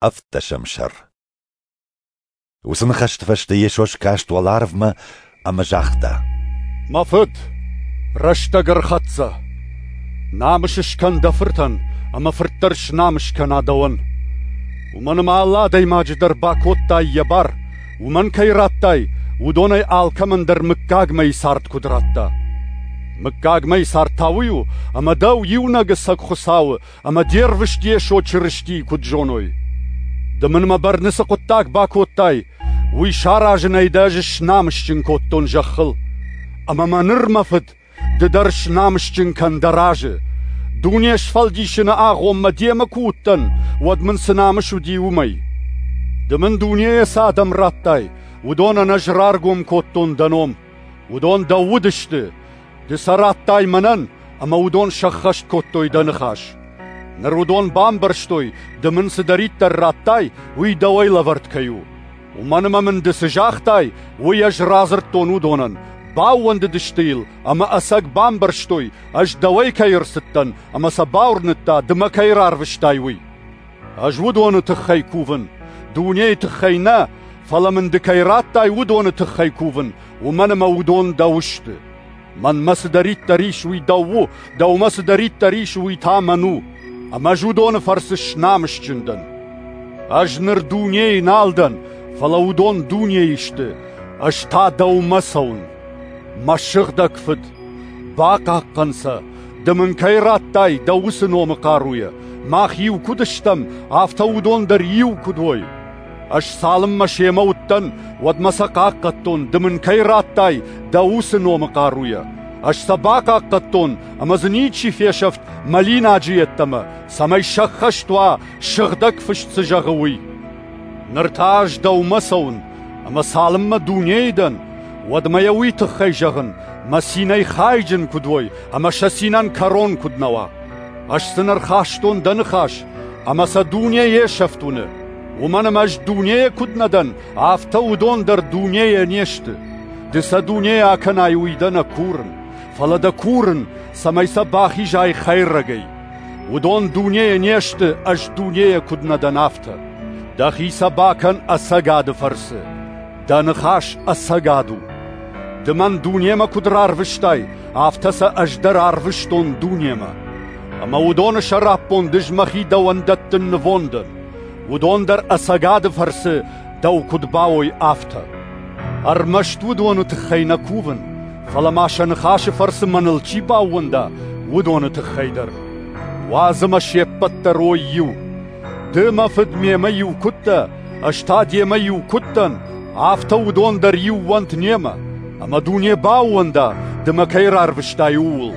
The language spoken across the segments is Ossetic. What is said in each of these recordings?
Ӕвддӕсӕм сӕр. Уыцы ныхӕсты фӕстӕ Йесо скаст уӕларвмӕ ӕмӕ загъта: Мӕ Фыд, рӕстӕг ӕрхӕццӕ. Намыс скӕн дӕ Фыртӕн, ӕмӕ Фырт дӕр снамыс кӕна дӕуӕн. Уымӕн ӕмӕ алы адӕймаджы дӕр бакодтай йӕ бар, уымӕн кӕй радтай, уыдонӕй алкӕмӕн дӕр мыггагмӕйы цард куыд радта. Мыггагмӕйы цард та уый у, ӕмӕ дӕу, иунӕг ӕцӕг Хуыцауы, ӕмӕ де рвыст Йесо Чырыстийы куыд зоной. Ды мын мӕ бӕрны цы хъуыддаг бакодтай, уый саразынӕй дӕ ӕз снамысджын кодтон зӕххыл. Ӕмӕ мӕ ныр, мӕ Фыд, ды дӕр снамысджын кӕн дӕ разы. Дуне сфӕлдисыны агъоммӕ демӕ куы уыдтӕн, уӕд мын цы намыс уыди, уымӕй. Ды мын дунейӕ цы адӕм радтай, уыдонӕн ӕз раргом кодтон дӕ ном. Уыдон дӕу уыдысты, ды сӕ радтай мӕнӕн, ӕмӕ уыдон сӕххӕст кодтой дӕ ныхас. Ныр уыдон бамбӕрстой, ды мын цыдӕриддӕр радтай, уый дӕуӕй лӕвӕрд кӕй у. Уымӕн ӕмӕ мын ды цы загътай, уый ӕз радзырдтон уыдонӕн, баууӕндыдысты йыл ӕмӕ ӕцӕг бамбӕрстой, ӕз дӕуӕй кӕй ӕрцыдтӕн ӕмӕ сӕ бауырныдта, ды мӕ кӕй рарвыстай, уый. Ӕз уыдоны тыххӕй кувын, дунейы тыххӕй нӕ, фӕлӕ мын ды кӕй радтай, уыдоны тыххӕй кувын, уымӕн ӕмӕ уыдон дӕу сты. Мӕнмӕ цыдӕриддӕр ис, уый дӕу у, дӕумӕ цыдӕриддӕр ис, уый та мӕн у. Ӕмӕ ӕз уыдоны фӕрцы снамысджын дӕн. Ӕз ныр дунейы нал дӕн, фӕлӕ уыдон дунейы сты, ӕз та дӕумӕ цӕуын. Мӕ сыгъдӕг Фыд, бахъахъхъӕн сӕ, ды мын кӕй радтай дӕ уыцы номы хъаруйӕ, мах иу куыд стӕм, афтӕ уыдон дӕр иу куыд уой. Ӕз цалынмӕ семӕ уыдтӕн, уӕдмӕ сӕ хъахъхъӕдтон, ды мын кӕй радтай, дӕ уыцы номы хъаруйӕ. Ӕз сӕ бахъахъхъӕдтон, ӕмӕ дзы ничи фесӕфт мӕлинаджы йеддӕмӕ, цӕмӕй сӕххӕст уа, Сыгъдӕг Фыст цы зӕгъы, уый. Ныр та ӕз дӕумӕ цӕуын, ӕмӕ цалынмӕ дунейы дӕн, уӕдмӕ йӕ уый тыххӕй зӕгъын, мӕ цинӕй хайджын куыд уой ӕмӕ сӕ цинӕн кӕрон куыд нӕ уа. Ӕз сын ӕрхастон дӕ ныхас, ӕмӕ сӕ дуне йе сӕфт уыны. Уымӕн ӕмӕ ӕз дунейӕ куыд нӕ дӕн, афтӕ уыдон дӕр дунейӕ не сты. Ды сӕ дунейӕ акӕнай, уый дӕ нӕ курын, фӕлӕ дӕ курын, цӕмӕй сӕ бахизай хӕйрӕгӕй. Уыдон дунейӕ не сты, ӕз дунейӕ куыд нӕ дӕн, афтӕ. Дӕхи сӕ бакӕн ӕцӕгады фӕрцы. Дӕ ныхас ӕцӕгад у. Ды мӕн дунемӕ куыд рарвыстай, афтӕ сӕ ӕз дӕр арвыстон дунемӕ. Ӕмӕ уыдоны сӕраппонд ӕз мӕхи дӕуӕн дӕттын нывондӕн. Уыдон дӕр ӕцӕгады фӕрцы дӕу куыд бауой, афтӕ. Ӕрмӕст уыдоны тыххӕй нӕ кувын, фӕлӕ ма сӕ ныхасы фӕрцы мӕныл чи баууӕнда, уыдоны тыххӕй дӕр. Уадз ӕмӕ се ппӕт дӕр уой иу. Ды, мӕ Фыд, мемӕ иу куыд дӕ, ӕз та демӕ иу куыд дӕн, афтӕ уыдон дӕр иу уӕнт немӕ, ӕмӕ дуне баууӕнда, ды мӕ кӕй рарвыстай, ууыл.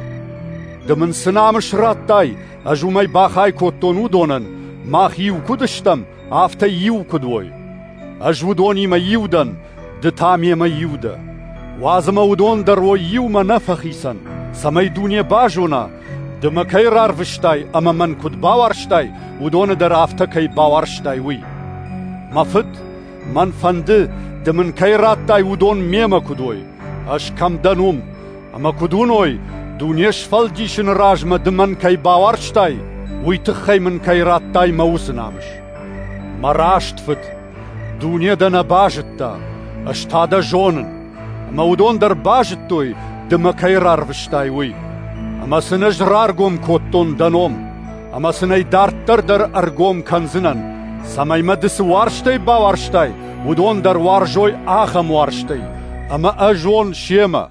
Ды мын цы намыс радтай, ӕз уымӕй бахай кодтон уыдонӕн, мах иу куыд стӕм, афтӕ иу куыд уой. Ӕз уыдонимӕ иу дӕн, ды та мемӕ иу дӕ. Уадз ӕмӕ уыдон дӕр уой иумӕ нӕ фӕхицӕн, цӕмӕй дуне базона, ды мӕ кӕй рарвыстай ӕмӕ мӕн куыд бауарзтай, уыдоны дӕр афтӕ кӕй бауарзтай, уый. Мӕ Фыд, мӕн фӕнды, ды мын кӕй радтай, уыдон мемӕ куыд уой, ӕз кӕм дӕн, уым, ӕмӕ куыд уыной, дуне сфӕлдисыны размӕ ды мӕн кӕй бауарзтай, уый тыххӕй мын кӕй радтай мӕ уыцы намыс. Мӕ раст Фыд, дуне дӕ нӕ базыдта, ӕз та дӕ зонын, ӕмӕ уыдон дӕр базыдтой, ды мӕ кӕй рарвыстай, уый. Ӕмӕ сын ӕз раргом кодтон дӕ ном, ӕмӕ сын ӕй дарддӕр дӕр ӕргом кӕндзынӕн, цӕмӕй мӕ ды цы уарзтӕй бауарзтай, уыдон дӕр уарзой ахӕм уарзтӕй, ӕмӕ ӕз уон семӕ.